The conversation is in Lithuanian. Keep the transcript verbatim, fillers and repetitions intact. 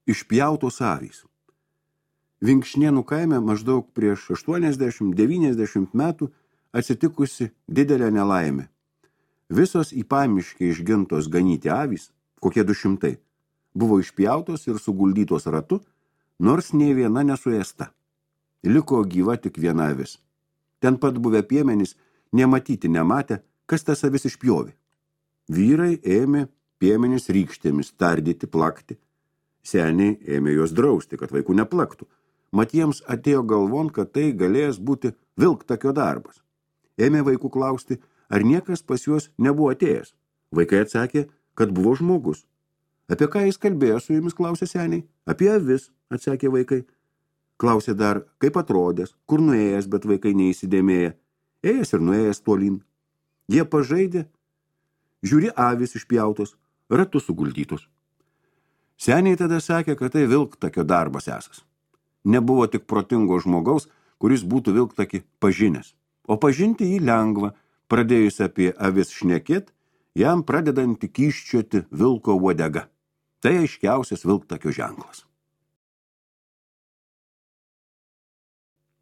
Išpjautos avys. Vinkšnėnų kaime maždaug prieš aštuoniasdešimt devyniasdešimt metų atsitikusi didelė nelaimė. Visos į pamiškę išgintos ganyti avys, kokie du šimtai, buvo išpjautos ir suguldytos ratu, nors nei viena nesuėsta. Liko gyva tik viena avis. Ten pat buvę piemenys nematyti nematė, kas tas avis išpjovė. Vyrai ėmė piemenys rykštėmis tardyti, plakti. Seniai ėmė juos drausti, kad vaikų neplaktų. Mat jiems atėjo galvon, kad tai galės būti vilktakio darbas. Ėmė vaikų klausti, ar niekas pas juos nebuvo atėjęs. Vaikai atsakė, kad buvo žmogus. Apie ką jis kalbėjo su jumis, klausė seniai? Apie avis, atsakė vaikai. Klausė dar, kaip atrodęs, kur nuėjęs, bet vaikai neįsidėmėję. Ėjęs ir nuėjęs tolyn. Jie pažaidė, žiūri avis išpjautos, ratu suguldytos. Seniai tada sakė, kad tai vilktakio darbas esas. Nebuvo tik protingo žmogaus, kuris būtų vilktakį pažinęs. O pažinti jį lengva, pradėjus apie avis šnekėt, jam pradedant kyščioti vilko uodega. Tai aiškiausias vilktakio ženklas.